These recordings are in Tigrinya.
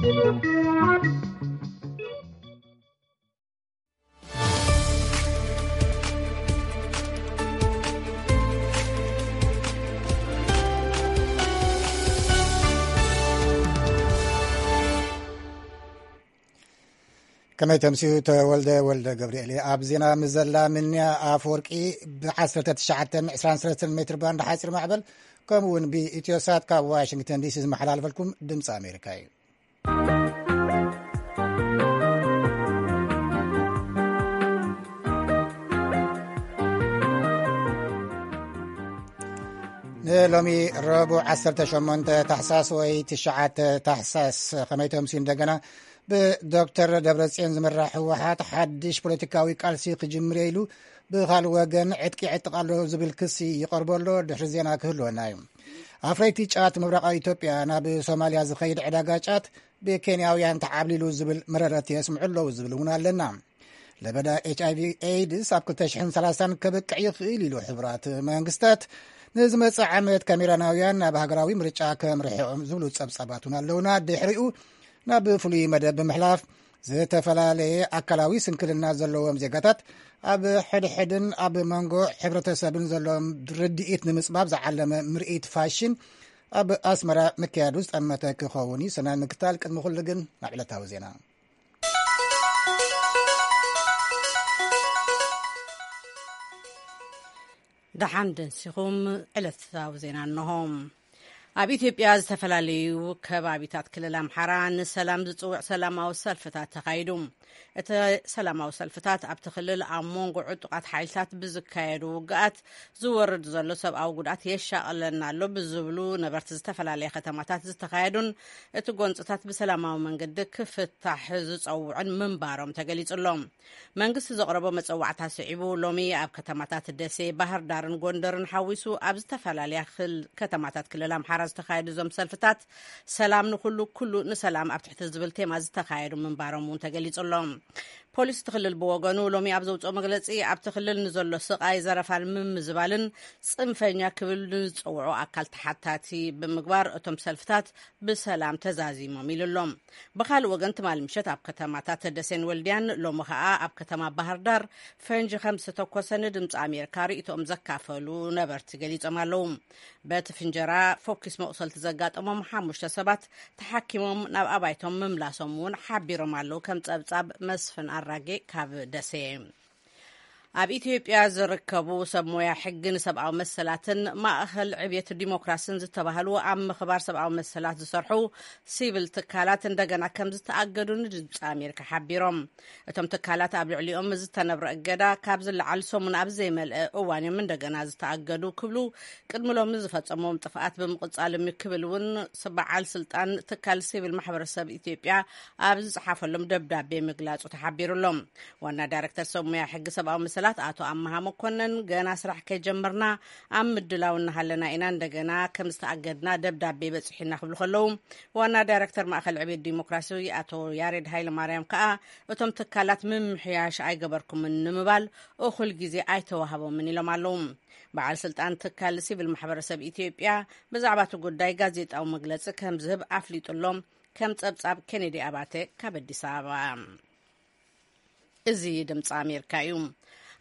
ከመይ ተምስዩ? ተወልደ ወልደ ገብርኤል እየ። ኣብ ዜና ምዘላ ምንያ ኣፈወርቂ ብ19 23 ሜትር ባንድ ሓፂር ማዕበል፣ ከምኡ እውን ብኢትዮሳት ካብ ዋሽንግተን ዲሲ ዝመሓላልፈልኩም ድምፂ ኣሜሪካ እዩ። ንሎሚ ረቡዕ 18 ታሕሳስ ወይ 9 ታሕሳስ ከመይ ተምስዩ? እንደገና ብዶክተር ደብረጽዮን ዝምራሕ ህወሓት ሓድሽ ፖለቲካዊ ቃልሲ ክጅምር ኢሉ ብኻልእ ወገን ዕጥቂ ይዕጥቕ ኣሎ ዝብል ክሲ ይቐርቦ ኣሎ። ድሕሪ ዜና ክህልወና እዩ። ኣፍረይቲ ጫት ምብራቓዊ ኢትዮጵያ ናብ ሶማልያ ዝኸይድ ዕዳጋ ጫት ብኬንያውያን ተዓብሊሉ ዝብል መረረት የስምዑ ኣለዉ ዝብል እውን ኣለና። ለበዳ ኤች ኣይ ቪ ኤድስ ኣብ 2030 ከበቅዕ ይኽእል ኢሉ። ሕቡራት መንግስታት ንዝመጽእ ዓመት ካሜራናውያን ናብ ሃገራዊ ምርጫ ከምርሕኦም ዝብሉ ጸብጻባት እውን ኣለውና። ድሕሪኡ ናብ ፍሉይ መደብ ብምሕላፍ፣ ዝተፈላለየ ኣካላዊ ስንክልና ዘለዎም ዜጋታት ኣብ ሕድሕድን ኣብ መንጎ ሕብረተሰብን ዘለዎም ርድኢት ንምጽባብ ዝዓለመ ምርኢት ፋሽን ኣብ ኣስመራ ምክያዱ ዝጠመተ ክኸውን እዩ። ሰናይ ምክታል። ቅድሚ ኩሉ ግን ናብ ዕለታዊ ዜና። ደሓን ደንሲኹም። ዕለታዊ ዜና እንሆ። ኣብ ኢትዮጵያ ዝተፈላለዩ ከባቢታት ክልል ኣምሓራ ንሰላም ዝጽውዕ ሰላማዊ ሰልፍታት ተኻይዱ። እቲ ሰላማዊ ሰልፍታት ኣብቲ ክልል ኣብ መንጎ ዕጡቓት ሓይልታት ብዝካየዱ ውግኣት ዝወርድ ዘሎ ሰብኣዊ ጉድኣት የሻቕለና ኣሎ ብዝብሉ ነበርቲ ዝተፈላለየ ከተማታት ዝተኻየዱን እቲ ጎንፅታት ብሰላማዊ መንገዲ ክፍታሕ ዝፀውዑን ምንባሮም ተገሊጹ ኣሎ። መንግስቲ ዘቕረቦ መጸዋዕታ ስዒቡ፣ ሎሚ ኣብ ከተማታት ደሴ፣ ባህር ዳርን ጎንደርን ሓዊሱ ኣብ ዝተፈላለያ ክል-፣ ከተማታት ክልል ኣምሓራ ዝተኻየዱ እዞም ሰልፍታት፣ ሰላም ንኹሉ፣ ኩሉ ንሰላም ኣብ ትሕቲ ዝብል ቴማ ዝተኻየዱ ምንባሮም እውን ተገሊጹ ኣሎ። ፖሊስ እቲ ክልል ብወገኑ ሎሚ ኣብ ዘውፅኦ መግለፂ፣ ኣብቲ ክልል ንዘሎ ስቓይ፣ ዘረፋን ምምዝባልን ጽንፈኛ ክብል ንዝጸውዖ ኣካል ተሓታቲ ብምግባር፣ እቶም ሰልፍታት ብሰላም ተዛዚሞም ኢሉ ኣሎ። ብኻልእ ወገን፣ ትማሊ ምሸት ኣብ ከተማታት ደሴን ወልድያን፣ ሎሚ ኸኣ ኣብ ከተማ ባህር ዳር ፈንጂ ከም ዝተተኮሰ ንድምፂ ኣሜሪካ ርእይቶኦም ዘካፈሉ ነበርቲ ገሊጾም ኣለዉ። በቲ ፍንጀራ ፎኪስ መቑሰልቲ ዘጋጠሞም ሓሙሽተ ሰባት ተሓኪሞም ናብ ኣባይቶም ምምላሶም እውን ሓቢሮም ኣለዉ። ከም ጸብጻብ መስፍን ኣራጌ ካብ ደሴ። ኣብ ኢትዮጵያ ዝርከቡ ሰብ ሞያ ሕጊ ንሰብኣዊ መሰላትን ማእኸል ዕብየት ዲሞክራስን ዝተባህሉ ኣብ ምኽባር ሰብኣዊ መሰላት ዝሰርሑ ሲቪል ትካላት እንደገና ከም ዝተኣገዱ ንድምፂ ኣሜሪካ ሓቢሮም። እቶም ትካላት ኣብ ልዕሊኦም ዝተነብረ እገዳ ካብ ዝለዓል ሰሙን ኣብ ዘይመልአ እዋን እዮም እንደገና ዝተኣገዱ ክብሉ ቅድሚ ሎሚ ዝፈጸሞም ጥፍኣት ብምቕጻሎም እዩ ክብል እውን በዓል ስልጣን ትካል ሲቪል ማሕበረሰብ ኢትዮጵያ ኣብ ዝጸሓፈሎም ደብዳቤ ምግላጹ ተሓቢሩሎም። ዋና ዳይሬክተር ሰብ ሞያ ሕጊ ሰብኣዊ መሰላት ኣቶ ኣመሃ መኮነን፣ ገና ስራሕ ከይጀመርና ኣብ ምድላው እናሃለና ኢና እንደገና ከም ዝተኣገድና ደብዳቤ በጺሑና ክብሉ ከለዉ፣ ዋና ዳይሬክተር ማእከል ዕብየት ዲሞክራሲ ኣቶ ያሬድ ሃይለ ማርያም ከኣ፣ እቶም ትካላት ምምሕያሽ ኣይገበርኩምን ንምባል እኹል ግዜ ኣይተዋህቦምን ኢሎም ኣለዉ። በዓል ስልጣን ትካል ሲቪል ማሕበረሰብ ኢትዮጵያ ብዛዕባ እቲ ጉዳይ ጋዜጣዊ መግለጺ ከም ዝህብ ኣፍሊጡ ኣሎ። ከም ጸብጻብ ኬኔዲ ኣባተ ካብ ኣዲስ ኣበባ። እዚ ድምፂ ኣሜሪካ እዩ።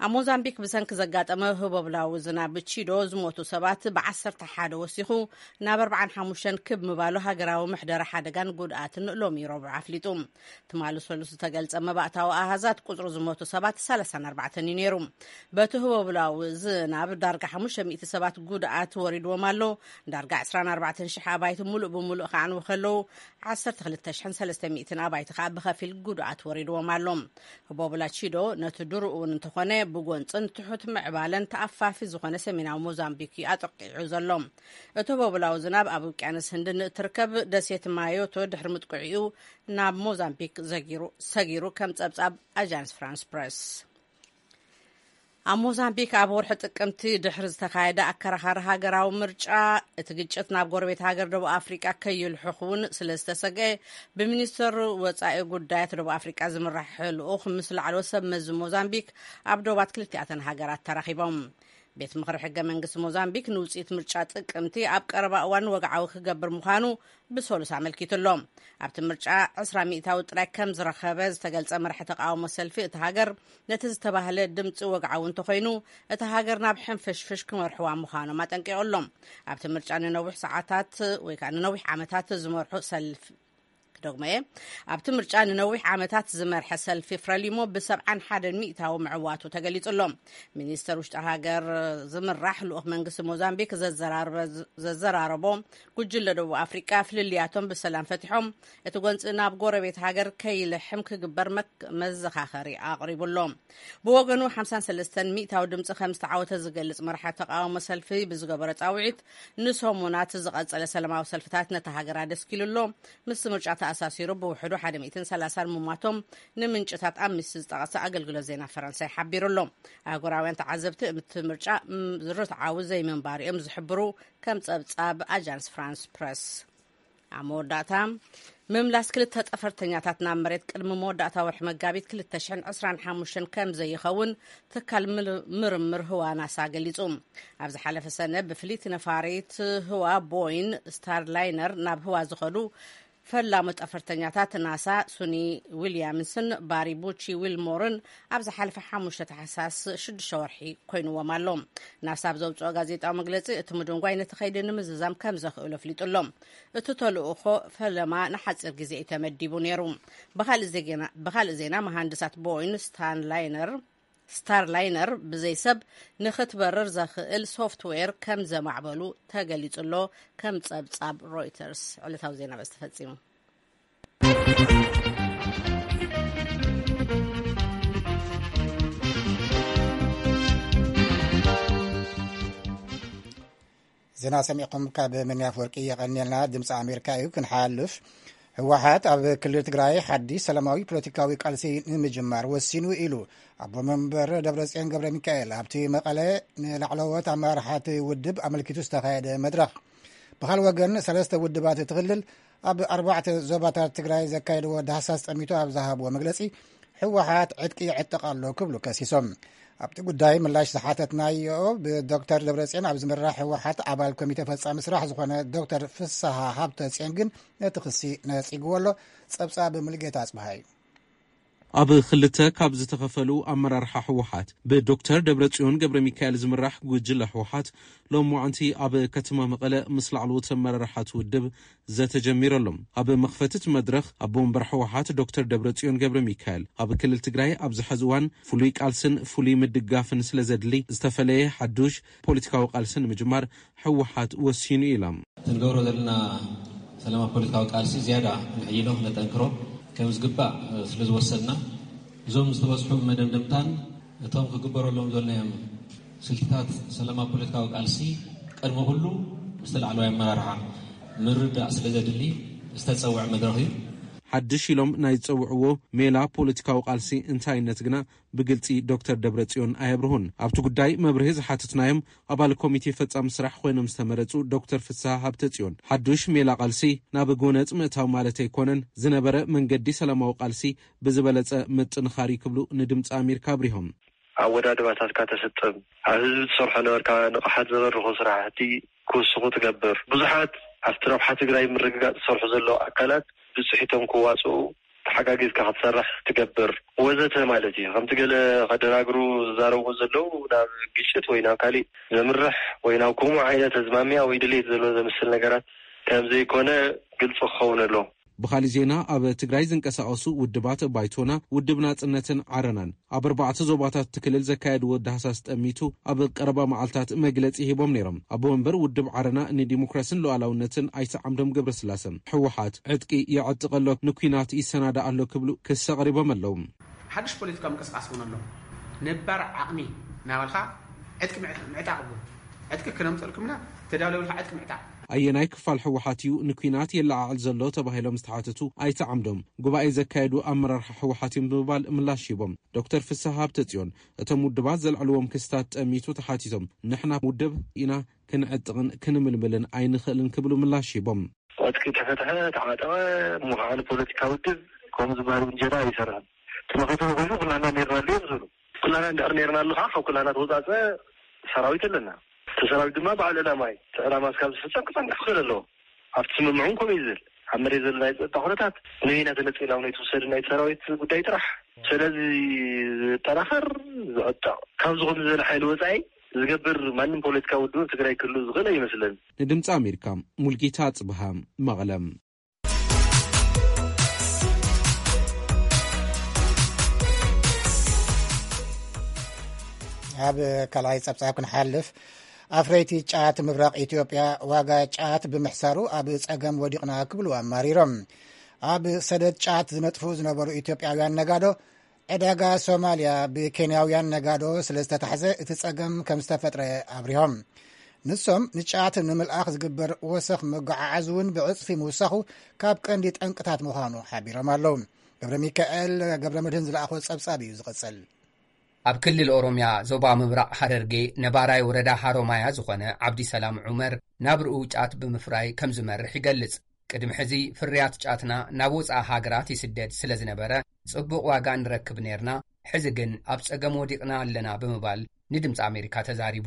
ኣብ ሞዛምቢክ ብሰንኪ ዘጋጠመ ህቦብላዊ ዝናብ ቺዶ ዝሞቱ ሰባት ብ11 ወሲኹ ናብ ኣርባዓን ሓሙሽተን ክብ ምባሉ ሃገራዊ ምሕደራ ሓደጋን ጉድኣትን ሎሚ ረቡዕ ኣፍሊጡ። ትማሊ ሰሉስ ዝተገልጸ መባእታዊ ኣሃዛት ቁጽሪ ዝሞቱ ሰባት ሰላሳን ኣርባዕተን እዩ ነይሩ። በቲ ህቦብላዊ ዝናብ ዳርጋ ሓሙሽተ ሚእቲ ሰባት ጉድኣት ወሪድዎም ኣሎ። ዳርጋ ዕስራን ኣርባዕተን ሽሕ ኣባይቲ ሙሉእ ብሙሉእ ክዓንዉ ከለዉ፣ ዓሰርተ ክልተ ሽሕን ሰለስተ ሚእትን ኣባይቲ ከኣ ብኸፊል ጉድኣት ወሪድዎም ኣሎ። ህቦብላ ቺዶ ነቲ ድሩኡ እውን እንተኾነ ብጎንጽን ትሑት ምዕባለን ተኣፋፊ ዝኾነ ሰሜናዊ ሞዛምቢክ እዩ ኣጠቂዑ ዘሎ። እቲ ህቦብላዊ ዝናብ ኣብ ውቅያኖስ ህንዲ ንእትርከብ ደሴት ማዮቶ ድሕሪ ምጥቅዒኡ ናብ ሞዛምቢክ ዘጊሩ-፣ ሰጊሩ ከም ጸብጻብ ኣጃንስ ፍራንስ ፕረስ። ኣብ ሞዛምቢክ ኣብ ወርሒ ጥቅምቲ ድሕሪ ዝተኻየደ ኣከራኻሪ ሃገራዊ ምርጫ፣ እቲ ግጭት ናብ ጎረቤት ሃገር ደቡብ ኣፍሪቃ ከይልሕኽ እውን ስለ ዝተሰግአ፣ ብሚኒስተር ወጻኢ ጉዳያት ደቡብ ኣፍሪቃ ዝምራሕ ልኡኽ ምስ ላዕለዎት ሰብ መዚ ሞዛምቢክ ኣብ ዶባት ክልቲኣተን ሃገራት ተራኺቦም። ቤት ምኽሪ ሕገ መንግስቲ ሞዛምቢክ ንውፅኢት ምርጫ ጥቅምቲ ኣብ ቀረባ እዋን ወግዓዊ ክገብር ምዃኑ ብሰሉስ ኣመልኪቱ ኣሎ። ኣብቲ ምርጫ ዕስራ ሚእታዊ ጥራይ ከም ዝረኸበ ዝተገልጸ መራሒ ተቃውሞ ሰልፊ እቲ ሃገር፣ ነቲ ዝተባህለ ድምፂ ወግዓዊ እንተኾይኑ፣ እቲ ሃገር ናብ ሕንፍሽፍሽ ክመርሕዋ ምዃኖም ኣጠንቂቑ ኣሎ። ኣብቲ ምርጫ ንነዊሕ ሰዓታት ወይ ከዓ ንነዊሕ ዓመታት ዝመርሑ ሰልፊ ክደግሞ እየ። ኣብቲ ምርጫ ንነዊሕ ዓመታት ዝመርሐ ሰልፊ ፍረሊሞ ብሰብዓን ሓደን ሚእታዊ ምዕዋቱ ተገሊጹ ኣሎ። ሚኒስተር ውሽጢ ሃገር ዝምራሕ ልኡኽ መንግስቲ ሞዛምቢክ ዘዘራረበ-፣ ዘዘራረቦ ጉጅለ ደቡብ ኣፍሪቃ፣ ፍልልያቶም ብሰላም ፈቲሖም እቲ ጎንፂ ናብ ጎረቤት ሃገር ከይልሕም ክግበር መክ-፣ መዘኻኸሪ ኣቕሪቡ ኣሎ። ብወገኑ ሓምሳን ሰለስተን ሚእታዊ ድምፂ ከም ዝተዓወተ ዝገልጽ መራሒ ተቃውሞ ሰልፊ ብዝገበረ ጻውዒት፣ ንሰሙናት ዝቐጸለ ሰላማዊ ሰልፍታት ነታ ሃገር ኣደስኪሉ ኣሎ። ምስ ምርጫ ተኣሳሲሩ ብውሕዱ ሓደ ሚእትን ሰላሳን ምሟቶም ንምንጭታት ኣምኒስቲ ዝጠቐሰ ኣገልግሎት ዜና ፈረንሳይ ሓቢሩ ኣሎ። ኣህጉራውያን ተዓዘብቲ እቲ ምርጫ ም-፣ ርትዓዊ ዘይምንባር እዮም ዝሕብሩ፣ ከም ጸብጻብ ኣጃንስ ፍራንስ ፕረስ። ኣብ መወዳእታ፣ ምምላስ ክልተ ጠፈርተኛታት ናብ መሬት ቅድሚ መወዳእታ ወርሒ መጋቢት ክልተ ሽሕን ዕስራን ሓሙሽተን ከም ዘይኸውን ትካል ምር-፣ ምርምር ህዋ ናሳ ገሊጹ። ኣብ ዝሓለፈ ሰነ ብፍልይቲ ነፋሪት ህዋ ቦይን ስታርላይነር ናብ ህዋ ዝኸዱ ፈላሙ ጠፈርተኛታት ናሳ ሱኒ ዊልያምስን ባሪ ቡቺ ዊልሞርን ኣብ ዝሓለፈ ሓሙሽተ ታሕሳስ ሽዱሽተ ወርሒ ኮይንዎም ኣሎ። ናሳ ኣብ ዘውፅኦ ጋዜጣዊ መግለፂ፣ እቲ ምድንጓይ ነቲ ከይዲ ንምዝዛም ከም ዘኽእሎ ኣፍሊጡ ኣሎ። እቲ ተልእኾ ፈለማ ንሓፂር ግዜ እዩ ተመዲቡ ነይሩ። ብኻልእ ዜና፣ ብኻልእ ዜና፣ መሃንድሳት ቦይን ስታንላይነር፣ ስታርላይነር ብዘይ ሰብ ንኽትበርር ዘኽእል ሶፍትዌር ከም ዘማዕበሉ ተገሊጹ ኣሎ፣ ከም ጸብጻብ ሮይተርስ። ዕለታዊ ዜና በዚ ተፈጺሙ። ዜና ሰሚዕኩም ካብ ምንያፍ ወርቂ የቐንየልና። ድምፂ ኣሜሪካ እዩ። ክንሓልፍ፣ ህወሓት ኣብ ክልል ትግራይ ሓድሽ ሰላማዊ ፖለቲካዊ ቃልሲ ንምጅማር ወሲኑ ኢሉ ኣቦ መንበር ደብረፅዮን ገብረ ሚካኤል ኣብቲ መቐለ ንላዕለዎት ኣመራርሓት ውድብ ኣመልኪቱ ዝተኻየደ መድረኽ። ብኻል ወገን ሰለስተ ውድባት እቲ ክልል ኣብ ኣርባዕተ ዞባታት ትግራይ ዘካየድዎ ዳህሳስ ጠሚቱ ኣብ ዝሃብዎ መግለፂ፣ ህወሓት ዕጥቂ ይዕጥቕ ኣሎ ክብሉ ከሲሶም። ኣብቲ ጉዳይ ምላሽ ዝሓተትናዮ ብዶክተር ደብረፅዮን ኣብ ዝምራሕ ህወሓት ኣባል ኮሚቴ ፈፃሚ ስራሕ ዝኾነ ዶክተር ፍስሃ ሃብተፅዮን ግን ነቲ ክሲ ነፂግዎ ኣሎ። ፀብፃብ ሙሉጌታ ኣፅብሃ እዩ። ኣብ ክልተ ካብ ዝተኸፈሉ ኣመራርሓ ህወሓት ብዶክተር ደብረፅዮን ገብረ ሚካኤል ዝምራሕ ጉጅለ ህወሓት ሎማዕንቲ ኣብ ከተማ መቐለ ምስ ላዕለዎት ኣመራርሓት ውድብ ዘተ ጀሚሩ ኣሎ። ኣብ መኽፈቲ እቲ መድረኽ ኣቦ ወንበር ህወሓት ዶክተር ደብረፅዮን ገብረ ሚካኤል፣ ኣብ ክልል ትግራይ ኣብዚ ሕዚ እዋን ፍሉይ ቃልስን ፍሉይ ምድጋፍን ስለ ዘድሊ፣ ዝተፈለየ ሓዱሽ ፖለቲካዊ ቃልሲ ንምጅማር ህወሓት ወሲኑ ኢሎም። እቲ ንገብሮ ዘለና ሰላማዊ ፖለቲካዊ ቃልሲ ዝያዳ ክነዕይሎ ክነጠንክሮ ከም ዝግባእ ስለ ዝወሰንና፣ እዞም ዝተበፅሑ መደምደምታን እቶም ክግበረሎም ዘለዎም ስልትታት ሰላማዊ ፖለቲካዊ ቃልሲ ቅድሚ ኩሉ ምስቲ ላዕለዋይ ኣመራርሓ ምርዳእ ስለ ዘድሊ ዝተፀውዐ መድረኽ እዩ። ሓድሽ ኢሎም ናይ ዝፀውዕዎ ሜላ ፖለቲካዊ ቃልሲ እንታይነት ግና ብግልፂ ዶክተር ደብረፅዮን ኣየብርሁን። ኣብቲ ጉዳይ መብርሂ ዝሓተትናዮም ኣባል ኮሚቴ ፈፃሚ ስራሕ ኮይኖም ዝተመረፁ ዶክተር ፍስሃ ሃብተፅዮን፣ ሓዱሽ ሜላ ቃልሲ ናብ ጎነፅ ምእታው ማለት ኣይኮነን፣ ዝነበረ መንገዲ ሰላማዊ ቃልሲ ብዝበለፀ ምጥንኻር እዩ ክብሉ ንድምፂ ኣሜሪካ ኣብሪሆም። ኣወዳድባታትካ ተስጥም፣ ኣብ ህዝቢ ትሰርሖ ነበርካ ንቕሓት ዘበርኹ ስራሕቲ ክውስኹ ትገብር። ብዙሓት ኣብቲ ረብሓ ትግራይ ምርግጋፅ ዝሰርሑ ዘለዉ ኣካላት ብፅሒቶም ክዋፅኡ ተሓጋጊዝካ ክትሰርሕ ትገብር ወዘተ ማለት እዩ። ከምቲ ገለ ከደናግሩ ዝዛረቡ ዘለዉ ናብ ግጭት ወይ ናብ ካሊእ ዘምርሕ ወይ ናብ ከምኡ ዓይነት ኣዝማሚያ ወይ ድሌት ዘሎ ዘምስል ነገራት ከም ዘይኮነ ግልፂ ክኸውን ኣለዎ። ብኻሊእ ዜና፣ ኣብ ትግራይ ዝንቀሳቐሱ ውድባት ባይቶና፣ ውድብ ናጽነትን ዓረናን ኣብ ኣርባዕተ ዞባታት እቲ ክልል ዘካየድዎ ዳህሳስ ጠሚቱ ኣብ ቀረባ መዓልታት መግለጺ ሂቦም ነይሮም። ኣቦ ወንበር ውድብ ዓረና ንዲሞክራስን ሉዓላውነትን ኣይተ ዓምዶም ገብረስላሰ፣ ህወሓት ዕጥቂ ይዕጥቕ ኣሎ፣ ንኲናት ይሰናዳእ ኣሎ ክብሉ ክሲ ኣቕሪቦም ኣለዉ። ሓድሽ ፖለቲካዊ ምንቅስቃስ እውን ኣሎ። ነባር ዓቕሚ እናበልካ ዕጥቂ ምዕ-፣ ምዕጣቕ እውን። ዕጥቂ ክነምፀልኩምና ተዳለውልካ ዕጥቂ ምዕጣቕ። ኣየናይ ክፋል ህወሓት እዩ ንኲናት የለዓዕል ዘሎ ተባሂሎም ዝተሓተቱ ኣይተ ዓምዶም፣ ጉባኤ ዘካየዱ ኣመራርሓ ህወሓት እዮም ብምባል ምላሽ ሂቦም። ዶክተር ፍስሃ ሃብተጽዮን፣ እቶም ውድባት ዘልዕልዎም ክስታት ጠሚቱ ተሓቲቶም፣ ንሕና ውድብ ኢና፣ ክንዕጥቕን ክንምልምልን ኣይንኽእልን ክብሉ ምላሽ ሂቦም። ዕጥቂ ተፈትሐ፣ ተዓጠቐ፣ እሞ ከዓ ንፖለቲካ ውድብ ከምኡ ዝበሃል ውንጀላ ኣይሰርሕን። እቲ መኸተ ኮይኑ ኩላና ኔርና ኣለዮም ዝብሉ። ኩላና እንድሕር ኔርና ኣለኻ፣ ካብ ኩላና ተወፃፀ ሰራዊት ኣለና። እቲ ሰራዊት ድማ በዓል ዕላማ እዩ። እቲ ዕላማ እስካብ ዝፍጸም ክጸንሕ ክኽእል ኣለዎ። ኣብቲ ስምምዕ እውን ከምኡ እዩ ዝብል። ኣብ መሬት ዘሎ ናይ ጸጥታ ኩነታት ንበይና ተነጺላ እውን ኣይትውሰድን፣ ናይቲ ሰራዊት ጉዳይ ጥራሕ። ስለዚ ዝጠናኸር፣ ዝዕጠቕ፣ ካብ ዝኾነ ዝበለ ሓይሊ ወጻኢ ዝገብር ማንም ፖለቲካዊ ውድብ ኣብ ትግራይ ክህሉ ዝኽእል ኣይመስለኒ። ንድምፂ ኣሜሪካ ሙልጌታ ጽብሃ፣ መቐለ። ኣብ ካልኣይ ጸብጻብ ክንሓልፍ፣ ኣፍረይቲ ጫት ምብራቕ ኢትዮጵያ ዋጋ ጫት ብምሕሳሩ ኣብ ጸገም ወዲቕና ክብሉ ኣማሪሮም። ኣብ ሰደድ ጫት ዝነጥፉ ዝነበሩ ኢትዮጵያውያን ነጋዶ፣ ዕዳጋ ሶማልያ ብኬንያውያን ነጋዶ ስለ ዝተታሕዘ እቲ ጸገም ከም ዝተፈጥረ ኣብሪሆም። ንሶም ንጫት ንምልኣኽ ዝግበር ወሰኽ መጓዓዓዚ እውን ብዕጽፊ ምውሳኹ ካብ ቀንዲ ጠንቅታት ምዃኑ ሓቢሮም ኣለዉ። ገብረ ሚካኤል ገብረ መድህን ዝለኣኾ ጸብጻብ እዩ ዝቕጽል። ኣብ ክልል ኦሮምያ ዞባ ምብራቕ ሃረርጌ ነባራይ ወረዳ ሃሮማያ ዝኾነ ዓብዲ ሰላም ዑመር ናብርኡ ጫት ብምፍራይ ከም ዝመርሕ ይገልጽ። ቅድሚ ሕዚ ፍርያት ጫትና ናብ ወጻኢ ሃገራት ይስደድ ስለ ዝነበረ ጽቡቕ ዋጋ ንረክብ ነርና፣ ሕዚ ግን ኣብ ጸገም ወዲቕና ኣለና ብምባል ንድምፂ ኣሜሪካ ተዛሪቡ።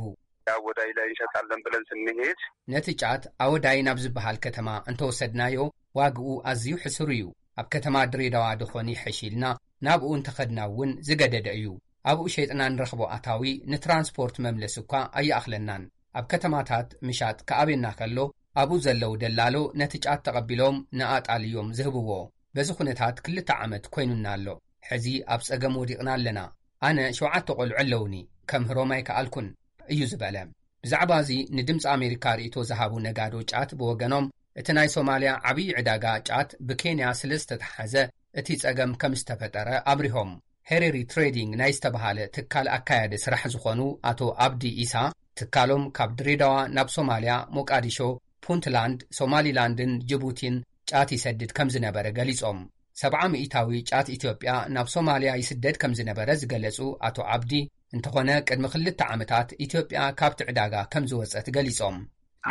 አወዳይ ላይ እንሸጣለን ብለን ስንሄድ ነቲ ጫት ኣወዳይ ናብ ዝበሃል ከተማ እንተወሰድናዮ ዋግኡ ኣዝዩ ሕሱር እዩ። ኣብ ከተማ ድሬዳዋ ድኾን ይሕሽ ኢልና ናብኡ እንተኸድና እውን ዝገደደ እዩ። ኣብኡ ሸይጥና ንረኽቦ ኣታዊ ንትራንስፖርት መምለስ እኳ ኣይኣኽለናን። ኣብ ከተማታት ምሻጥ ክኣብየና ከሎ ኣብኡ ዘለዉ ደላሎ ነቲ ጫት ተቐቢሎም ንኣጣል እዮም ዝህብዎ። በዚ ኩነታት ክልተ ዓመት ኮይኑና ኣሎ። ሕዚ ኣብ ጸገም ወዲቕና ኣለና። ኣነ ሸውዓተ ቆልዑ ኣለውኒ፣ ከምህሮም ኣይከኣልኩን እዩ ዝበለ። ብዛዕባ እዚ ንድምፂ ኣሜሪካ ርእይቶ ዝሃቡ ነጋዶ ጫት ብወገኖም እቲ ናይ ሶማልያ ዓብዪ ዕዳጋ ጫት ብኬንያ ስለ ዝተተሓዘ እቲ ጸገም ከም ዝተፈጠረ ኣብሪሆም። ሄሬሪ ትሬዲንግ ናይ ዝተባሃለ ትካል ኣካያዲ ስራሕ ዝኾኑ ኣቶ ኣብዲ ኢሳ ትካሎም ካብ ድሬዳዋ ናብ ሶማልያ ሞቃዲሾ፣ ፑንትላንድ፣ ሶማሊላንድን ጅቡቲን ጫት ይሰድድ ከም ዝነበረ ገሊጾም። ሰብዓ ሚእታዊ ጫት ኢትዮጵያ ናብ ሶማልያ ይስደድ ከም ዝነበረ ዝገለጹ ኣቶ ዓብዲ፣ እንተኾነ ቅድሚ ክልተ ዓመታት ኢትዮጵያ ካብቲ ዕዳጋ ከም ዝወጸት ገሊጾም።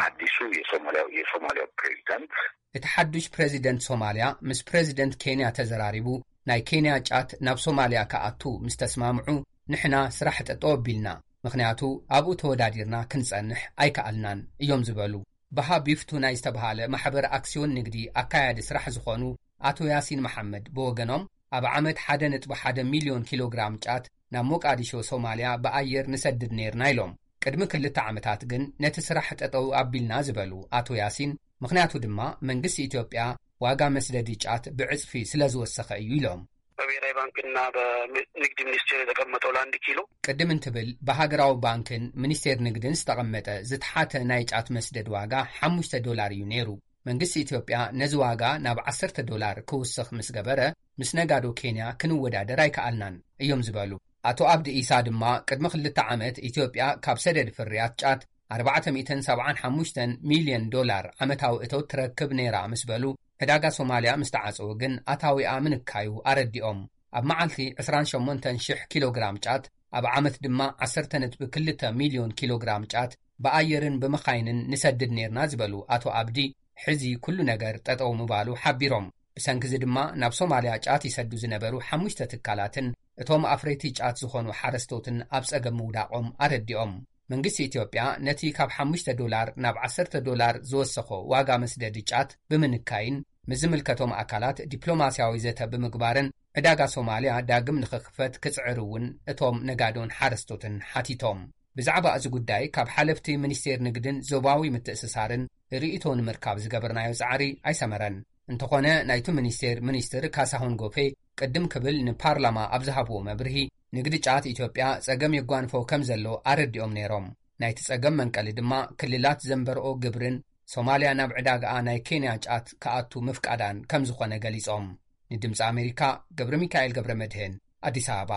አዲሱ የሶማሊያው የሶማሊያው ፕሬዚዳንት እቲ ሓዱሽ ፕሬዚደንት ሶማልያ ምስ ፕሬዚደንት ኬንያ ተዘራሪቡ ናይ ኬንያ ጫት ናብ ሶማልያ ክኣቱ ምስ ተስማምዑ ንሕና ስራሕ ጠጠው ኣቢልና፣ ምኽንያቱ ኣብኡ ተወዳዲርና ክንጸንሕ ኣይከኣልናን እዮም ዝበሉ። ባሃ ቢፍቱ ናይ ዝተብሃለ ማሕበር ኣክስዮን ንግዲ ኣካያዲ ስራሕ ዝኾኑ ኣቶ ያሲን መሓመድ ብወገኖም ኣብ ዓመት ሓደ ነጥቢ ሓደ ሚልዮን ኪሎ ግራም ጫት ናብ ሞቃዲሾ ሶማልያ ብኣየር ንሰድድ ነይርና ኢሎም። ቅድሚ ክልተ ዓመታት ግን ነቲ ስራሕ ጠጠው ኣቢልና ዝበሉ ኣቶ ያሲን፣ ምኽንያቱ ድማ መንግስቲ ኢትዮጵያ ዋጋ መስደዲ ጫት ብዕጽፊ ስለ ዝወሰኸ እዩ ኢሎም። በብሔራዊ ባንክና በንግድ ሚኒስቴር የተቀመጠው ለአንድ ኪሎ ቅድም እንትብል ብሃገራዊ ባንክን ሚኒስቴር ንግድን ዝተቐመጠ ዝተሓተ ናይ ጫት መስደድ ዋጋ ሓሙሽተ ዶላር እዩ ነይሩ። መንግስቲ ኢትዮጵያ ነዚ ዋጋ ናብ ዓሰርተ ዶላር ክውስኽ ምስ ገበረ ምስ ነጋዶ ኬንያ ክንወዳደር ኣይከኣልናን እዮም ዝበሉ ኣቶ ኣብዲ ኢሳ ድማ ቅድሚ ክልተ ዓመት ኢትዮጵያ ካብ ሰደድ ፍርያት ጫት ኣርባዕተ ሚእትን ሰብዓን ሓሙሽተን ሚልዮን ዶላር ዓመታዊ እቶት ትረክብ ነይራ ምስ በሉ ዕዳጋ ሶማልያ ምስ ተዓጸወ ግን ኣታዊኣ ምንካዩ ኣረዲኦም። ኣብ መዓልቲ ዕስራን ሸሞንተን ሽሕ ኪሎ ግራም ጫት ኣብ ዓመት ድማ ዓሰርተ ነጥቢ ክልተ ሚልዮን ኪሎ ግራም ጫት ብኣየርን ብመኻይንን ንሰድድ ነይርና ዝበሉ ኣቶ ኣብዲ ሕዚ ኩሉ ነገር ጠጠው ምባሉ ሓቢሮም። ብሰንኪ እዚ ድማ ናብ ሶማልያ ጫት ይሰዱ ዝነበሩ ሓሙሽተ ትካላትን እቶም ኣፍረይቲ ጫት ዝኾኑ ሓረስቶትን ኣብ ጸገም ምውዳቖም ኣረዲኦም። መንግስቲ ኢትዮጵያ ነቲ ካብ ሓሙሽተ ዶላር ናብ ዓሰርተ ዶላር ዝወሰኾ ዋጋ መስደዲ ጫት ብምንካይን ምስ ዝምልከቶም ኣካላት ዲፕሎማስያዊ ዘተ ብምግባርን ዕዳጋ ሶማልያ ዳግም ንኽኽፈት ክጽዕር እውን እቶም ነጋዶን ሓረስቶትን ሓቲቶም። ብዛዕባ እዚ ጉዳይ ካብ ሓለፍቲ ሚኒስቴር ንግድን ዞባዊ ምትእስሳርን ርእይቶ ንምርካብ ዝገበርናዮ ጻዕሪ ኣይሰመረን። እንተኾነ ናይቲ ሚኒስቴር ሚኒስትር ካሳሁን ጎፌ ቅድም ክብል ንፓርላማ ኣብ ዝሃብዎ መብርሂ ንግዲ ጫት ኢትዮጵያ ጸገም የጓንፎ ከም ዘሎ ኣረዲኦም ነይሮም። ናይቲ ጸገም መንቀሊ ድማ ክልላት ዘንበርኦ ግብርን ሶማልያ ናብ ዕዳጋኣ ናይ ኬንያ ጫት ክኣቱ ምፍቃዳን ከም ዝኾነ ገሊጾም። ንድምፂ ኣሜሪካ ገብረ ሚካኤል ገብረ መድህን ኣዲስ ኣበባ።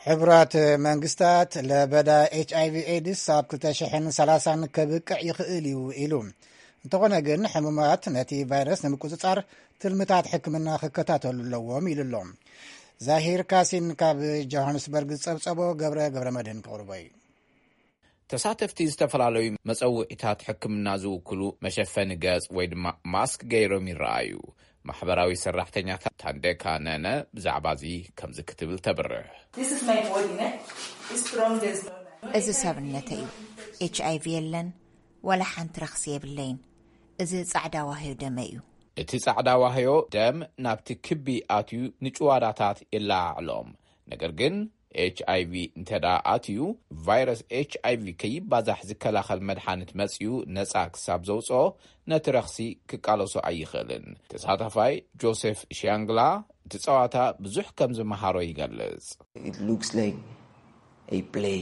ሕቡራት መንግስታት ለበዳ ኤች ኣይቪ ኤድስ ኣብ ክልተ ሽሕን ሰላሳን ከብቅዕ ይኽእል እዩ ኢሉ። እንተኾነ ግን ሕሙማት ነቲ ቫይረስ ንምቁጽጻር ትልምታት ሕክምና ክከታተሉ ኣለዎም ኢሉ ኣሎ። ዛሂር ካሲን ካብ ጆሃንስበርግ ዝጸብጸቦ ገብረ ገብረ መድህን ክቕርቦ እዩ። ተሳተፍቲ ዝተፈላለዩ መጸውዒታት ሕክምና ዝውክሉ መሸፈኒ ገጽ ወይ ድማ ማስክ ገይሮም ይረኣዩ። ማሕበራዊ ሰራሕተኛታት ታንዴካ ነነ ብዛዕባ እዚ ከምዚ ክትብል ተብርህ። This is my body, ne? It's strong, there's no life. እዚ ሰብነተ እዩ። ኤች ኣይ ቪ የለን፣ ዋላ ሓንቲ ረኽሲ የብለይን። እዚ ጻዕዳ ዋህዮ ደመ እዩ። እቲ ጻዕዳ ዋህዮ ደም ናብቲ ክቢ ኣትዩ ንጭዋዳታት የለዓዕሎም። ነገር ግን ኤች ኣይ ቪ እንተ ደኣ ኣትዩ፣ ቫይረስ ኤች ኣይ ቪ ከይባዛሕ ዝከላኸል መድሓኒት መጺኡ ነጻ ክሳብ ዘውጽኦ፣ ነቲ ረኽሲ ክቃለሶ ኣይኽእልን። ተሳታፋይ ጆሴፍ ሽያንግላ እቲ ጸዋታ ብዙሕ ከም ዝመሃሮ ይገልጽ። It looks like a play,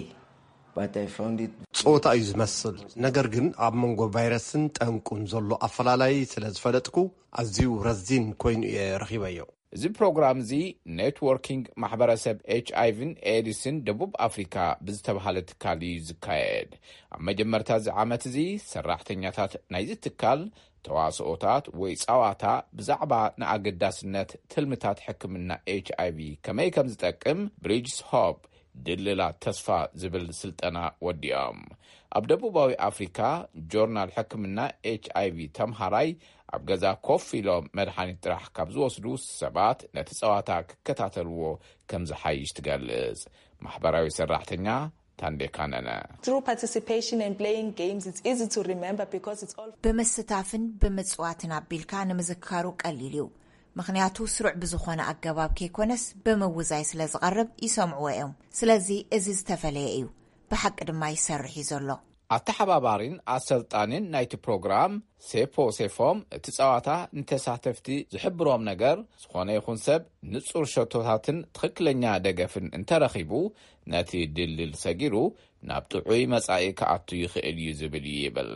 but I found it ጸወታ እዩ ዝመስል፣ ነገር ግን ኣብ መንጎ ቫይረስን ጠንቁን ዘሎ ኣፈላላይ ስለ ዝፈለጥኩ ኣዝዩ ረዚን ኮይኑ እየ ረኺበዮ። እዚ ፕሮግራም እዚ ኔትወርኪንግ ማሕበረሰብ ኤች ኣይ ቪን ኤድስን ደቡብ ኣፍሪካ ብዝተባሃለ ትካል እዩ ዝካየድ። ኣብ መጀመርታ እዚ ዓመት እዚ ሰራሕተኛታት ናይዚ ትካል ተዋስኦታት ወይ ጸዋታ ብዛዕባ ንኣገዳስነት ትልምታት ሕክምና ኤች ኣይ ቪ ከመይ ከም ዝጠቅም ብሪጅስ ሆፕ ድልላት ተስፋ ዝብል ስልጠና ወዲኦም። ኣብ ደቡባዊ ኣፍሪካ ጆርናል ሕክምና ኤች ኣይ ቪ ተምሃራይ ኣብ ገዛ ኮፍ ኢሎም መድሓኒት ጥራሕ ካብ ዝወስዱ ሰባት ነቲ ጸዋታ ክከታተልዎ ከም ዝሓይሽ ትገልጽ ማሕበራዊ ሰራሕተኛ ታንዴካነነ። Through participation and playing games, it's easy to remember because it's all ብምስታፍን ብምጽዋትን ኣቢልካ ንምዝካሩ ቀሊል እዩ። ምኽንያቱ ስሩዕ ብዝኾነ ኣገባብ ከይኮነስ ብምውዛይ ስለ ዝቐርብ ይሰምዕዎ እዮም። ስለዚ እዚ ዝተፈለየ እዩ። ብሓቂ ድማ ይሰርሕ እዩ ዘሎ። ኣተሓባባሪን ኣሰልጣኒን ናይቲ ፕሮግራም ሴፖ ሴፎም እቲ ጸዋታ ንተሳተፍቲ ዝሕብሮም ነገር ዝኾነ ይኹን ሰብ ንጹር ሸቶታትን ትኽክለኛ ደገፍን እንተረኺቡ ነቲ ድልድል ሰጊሩ ናብ ጥዑይ መጻኢ ክኣቱ ይኽእል እዩ ዝብል እዩ ይብል።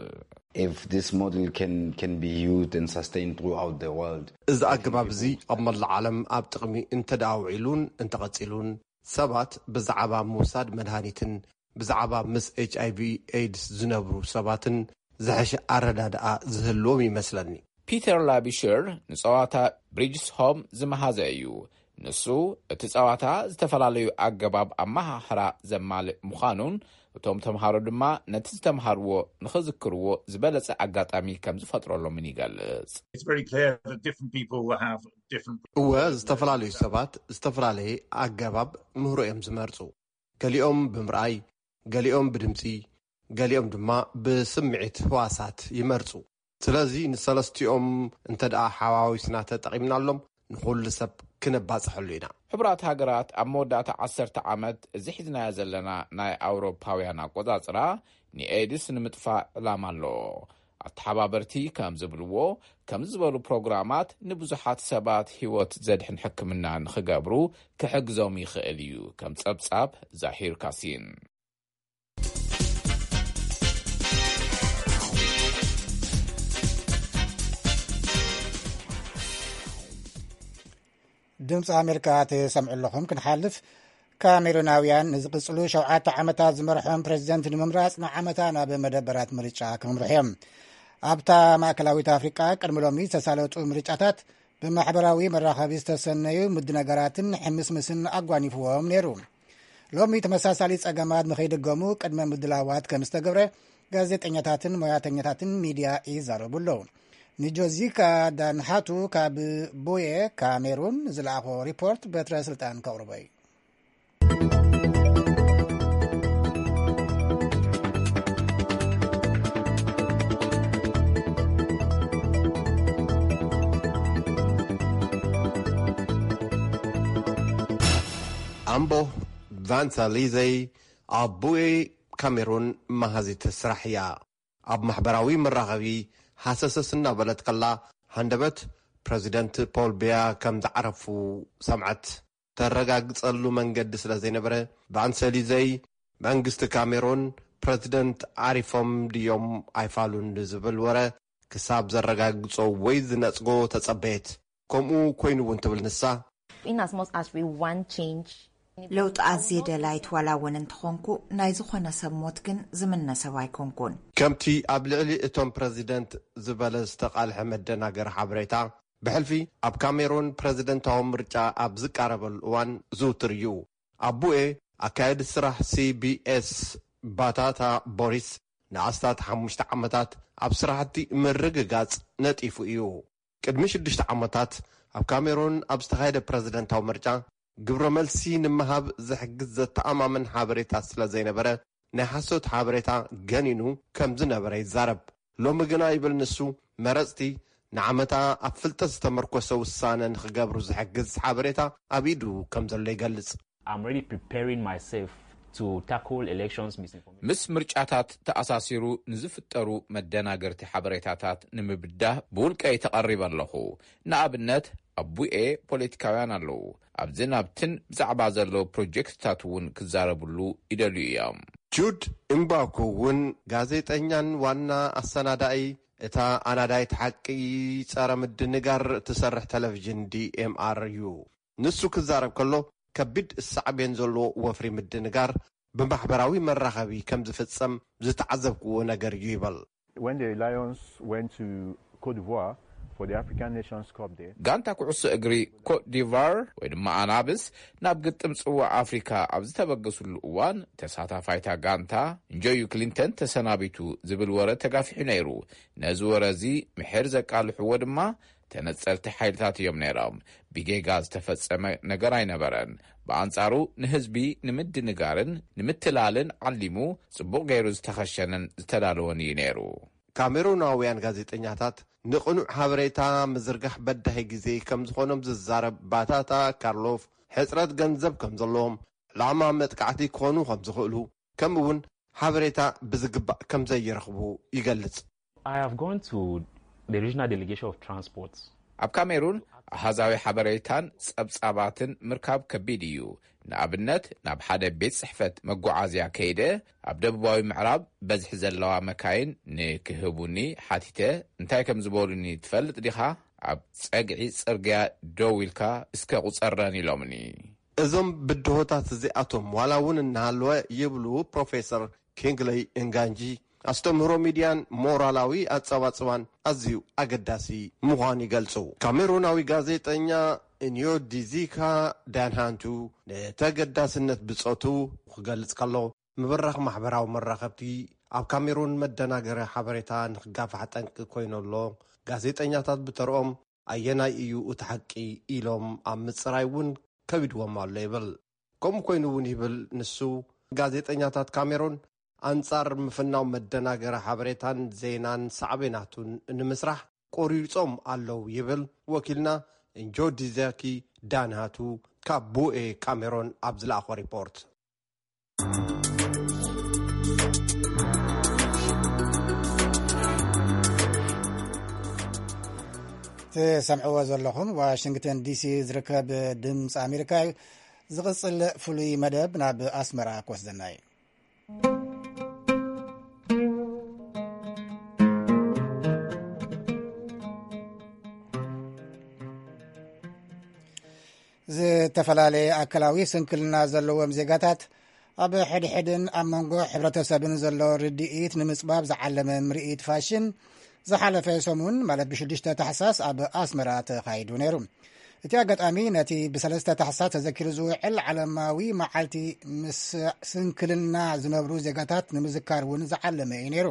If this model can, can be used and sustained throughout the world, እዚ ኣገባብ እዚ ኣብ መላእ ዓለም ኣብ ጥቕሚ እንተ ደኣ ውዒሉን እንተቐጺሉን ሰባት ብዛዕባ ምውሳድ መድሃኒትን ብዛዕባ ምስ ኤች ኣይ ቪ ኤድስ ዝነብሩ ሰባትን ዝሐሸ ኣረዳድኣ ዝህልዎም ይመስለኒ። ፒተር ላቢሽር ንጸዋታ ብሪጅስ ሆም ዝመሃዘ እዩ። ንሱ እቲ ጸዋታ ዝተፈላለዩ ኣገባብ ኣመሃህራ ዘማልእ ምዃኑን እቶም ተምሃሮ ድማ ነቲ ዝተምሃርዎ ንኽዝክርዎ ዝበለጸ ኣጋጣሚ ከም ዝፈጥረሎምን ይገልጽ። It's very clear that different people will have different እወ ዝተፈላለዩ ሰባት ዝተፈላለየ ኣገባብ ምህሮ እዮም ዝመርጹ። ገሊኦም ብምርኣይ፣ ገሊኦም ብድምጺ፣ ገሊኦም ድማ ብስምዒት ህዋሳት ይመርጹ። ስለዚ ንሰለስቲኦም እንተ ደኣ ሓዋዊስና ተጠቒምናሎም ንኹሉ ሰብ ክነባጽሐሉ ኢና። ሕቡራት ሃገራት ኣብ መወዳእታ ዓሰርተ ዓመት እዚ ሒዝናዮ ዘለና ናይ ኣውሮፓውያን ኣቆጻጽራ ንኤድስ ንምጥፋእ ዕላማ ኣለዎ። ኣተሓባበርቲ ከም ዝብልዎ ከምዚ ዝበሉ ፕሮግራማት ንብዙሓት ሰባት ህይወት ዘድሕን ሕክምና ንኽገብሩ ክሕግዞም ይኽእል እዩ። ከም ጸብጻብ ዛሂር ካሲን። ድምፂ ኣሜሪካ ትሰምዑ ኣለኹም። ክንሓልፍ ካሜሩናውያን ንዝቕፅሉ ሸውዓተ ዓመታት ዝመርሖም ፕሬዚደንት ንምምራፅ ንዓመታ ናብ መደበራት ምርጫ ክምርሑ እዮም። ኣብታ ማእከላዊት ኣፍሪቃ ቅድሚ ሎሚ ዝተሳለጡ ምርጫታት ብማሕበራዊ መራኸቢ ዝተሰነዩ ምድነጋራትን ሕምስምስን ኣጓኒፍዎም ነይሩ። ሎሚ ተመሳሳሊ ጸገማት ንኸይድገሙ ቅድመ ምድላዋት ከም ዝተገብረ ጋዜጠኛታትን ሞያተኛታትን ሚድያ ይዛረቡ ኣለዉ። ንጆዚካ ዳንሃቱ ካብ ቦየ ካሜሩን ዝለኣኾ ሪፖርት በትረ ስልጣን ከቕርቦ እዩ። ኣምቦ ቫንሳሊዘይ ኣቦይ ካሜሩን መሃዚት ስራሕ እያ። ኣብ ማሕበራዊ መራኸቢ ሃሰሰስ እናበለት ከላ ሃንደበት ፕረዚደንት ፖል ቢያ ከም ዝዓረፉ ሰምዐት። ተረጋግጸሉ መንገዲ ስለ ዘይነበረ ቫንሰሊዘይ መንግስቲ ካሜሮን ፕረዚደንት ዓሪፎም ድዮም ኣይፋሉን ንዝብል ወረ ክሳብ ዘረጋግጾ ወይ ዝነጽጎ ተጸበየት። ከምኡ ኮይኑ እውን ትብል ንሳ። In as much as we want change, ለውጢ ኣዝየ ደላይት ዋላ እውን እንተኾንኩ ናይ ዝኾነ ሰብ ሞት ግን ዝምነ ሰብ ኣይኮንኩን። ከምቲ ኣብ ልዕሊ እቶም ፕረዚደንት ዝበለ ዝተቓልሐ መደናገሪ ሓበሬታ ብሕልፊ ኣብ ካሜሮን ፕረዚደንታዊ ምርጫ ኣብ ዝቃረበሉ እዋን ዝውትር እዩ። ኣቡኤ ኣካየዲ ስራሕ ሲ ቢ ኤስ ባታታ ቦሪስ ንኣስታት ሓሙሽተ ዓመታት ኣብ ስራሕቲ ምርግጋጽ ነጢፉ እዩ። ቅድሚ ሽዱሽተ ዓመታት ኣብ ካሜሩን ኣብ ዝተኻየደ ፕረዚደንታዊ ምርጫ ግብረ መልሲ ንምሃብ ዝሕግዝ ዘተኣማምን ሓበሬታ ስለ ዘይነበረ፣ ናይ ሓሶት ሓበሬታ ገኒኑ ከም ዝነበረ ይዛረብ። ሎሚ ግና፣ ይብል ንሱ፣ መረጽቲ ንዓመታ ኣብ ፍልጠት ዝተመርኮሰ ውሳነ ንኽገብሩ ዝሕግዝ ሓበሬታ ኣብ ኢዱ ከም ዘሎ ይገልጽ። I'm already preparing myself to tackle elections misinformation. ምስ ምርጫታት ተኣሳሲሩ ንዝፍጠሩ መደናገርቲ ሓበሬታታት ንምብዳህ ብውልቀይ ተቐሪበ ኣለኹ። ንኣብነት፣ ኣብ ቡኤ ፖለቲካውያን ኣለዉ። ኣብዝን ኣብትን ብዛዕባ ዘለዉ ፕሮጀክትታት እውን ክዛረብሉ ይደልዩ እዮም። ጁድ እምባኩ እውን ጋዜጠኛን ዋና ኣሰናዳኢ እታ ኣናዳይት ሓቂ ጸረ ምድንጋር እትሰርሕ ቴሌቪዥን ዲኤምኣር እዩ። ንሱ ክዛረብ ከሎ፣ ከቢድ ሳዕቤን ዘለዎ ወፍሪ ምድንጋር ብማሕበራዊ መራኸቢ ከም ዝፍጸም ዝተዓዘብክዎ ነገር እዩ ይበል። When the Lions went to Cote d'Ivoire for the African Nations Cup there, ጋንታ ኩዕሶ እግሪ ኮት ዲቫር ወይ ድማ ኣናብስ ናብ ግጥም ጽዋዕ ኣፍሪካ ኣብ ዝተበገስሉ እዋን፣ ተሳታፋይታ ጋንታ እንጆዩ ክሊንተን ተሰናቢቱ ዝብል ወረ ተጋፊሑ ነይሩ። ነዚ ወረ እዚ ምሕር ዘቃልሕዎ ድማ ተነጸልቲ ሓይልታት እዮም ነይሮም። ብጌጋ ዝተፈጸመ ነገር ኣይነበረን። ብኣንጻሩ፣ ንህዝቢ ንምድንጋርን ንምትላልን ዓሊሙ ጽቡቕ ገይሩ ዝተኸሸነን ዝተዳለወን እዩ ነይሩ። ካሜሩናውያን ጋዜጠኛታት ንቕኑዕ ሓበሬታ ምዝርጋሕ በዳሂ ግዜ ከም ዝኾኖም ዝዛረብ ባታታ ካርሎፍ፣ ሕጽረት ገንዘብ ከም ዘለዎም፣ ዕላማ መጥቃዕቲ ክኾኑ ከም ዝኽእሉ፣ ከምኡ እውን ሓበሬታ ብዝግባእ ከም ዘይረኽቡ ይገልጽ። I have gone to the regional delegation of transport. ኣብ ካሜሩን ኣሃዛዊ ሓበሬታን ጸብጻባትን ምርካብ ከቢድ እዩ። ንኣብነት፣ ናብ ሓደ ቤት ጽሕፈት መጓዓዝያ ከይደ፣ ኣብ ደቡባዊ ምዕራብ በዝሒ ዘለዋ መካይን ንክህቡኒ ሓቲተ። "እንታይ ከም ዝበሉኒ ትፈልጥ ዲኻ? ኣብ ጸግዒ ጽርግያ ደው ኢልካ እስከ ቁጸረን" ኢሎምኒ። እዞም ብድሆታት እዚኣቶም ዋላ እውን እናሃለወ፣ ይብሉ ፕሮፌሰር ኪንግለይ እንጋንጂ፣ ኣስተምህሮ ሚድያን ሞራላዊ ኣጸባጽባን ኣዝዩ ኣገዳሲ ምዃኑ ይገልጹ። ካሜሩናዊ ጋዜጠኛ እንዮ ዲዚካ ዳንሃንቱ ንተገዳስነት ብጾቱ ክገልጽ ከሎ፣ ምብራኽ ማሕበራዊ መራኸብቲ ኣብ ካሜሩን መደናገሪ ሓበሬታ ንኽጋፋሕ ጠንቂ ኮይኑ ኣሎ። ጋዜጠኛታት ብተርኦም ኣየናይ እዩ እቲ ሓቂ ኢሎም ኣብ ምጽራይ እውን ከቢድዎም ኣሎ ይብል። ከምኡ ኮይኑ እውን ይብል ንሱ፣ ጋዜጠኛታት ካሜሩን ኣንጻር ምፍናው መደናገሪ ሓበሬታን ዜናን ሳዕቤናቱን ንምስራሕ ቆሪጾም ኣለዉ ይብል ወኪልና እንጆ ዲዛኪ ዳንሃቱ ካብ ቡኤ ካሜሮን ኣብ ዝለኣኾ ሪፖርት። ትሰምዕዎ ዘለኹም ዋሽንግተን ዲሲ ዝርከብ ድምፂ ኣሜሪካ እዩ። ዝቕፅል ፍሉይ መደብ ናብ ኣስመራ ክወስደና እዩ። ዝተፈላለየ ኣካላዊ ስንክልና ዘለዎም ዜጋታት ኣብ ሕድሕድን ኣብ መንጎ ሕብረተሰብን ዘሎ ርድኢት ንምጽባብ ዝዓለመ ምርኢት ፋሽን ዝሓለፈ ሰሙን ማለት ብሽዱሽተ ታሕሳስ ኣብ ኣስመራ ተኻይዱ ነይሩ። እቲ ኣጋጣሚ ነቲ ብሰለስተ ታሕሳስ ተዘኪሩ ዝውዕል ዓለማዊ መዓልቲ ምስ ስንክልና ዝነብሩ ዜጋታት ንምዝካር እውን ዝዓለመ እዩ ነይሩ።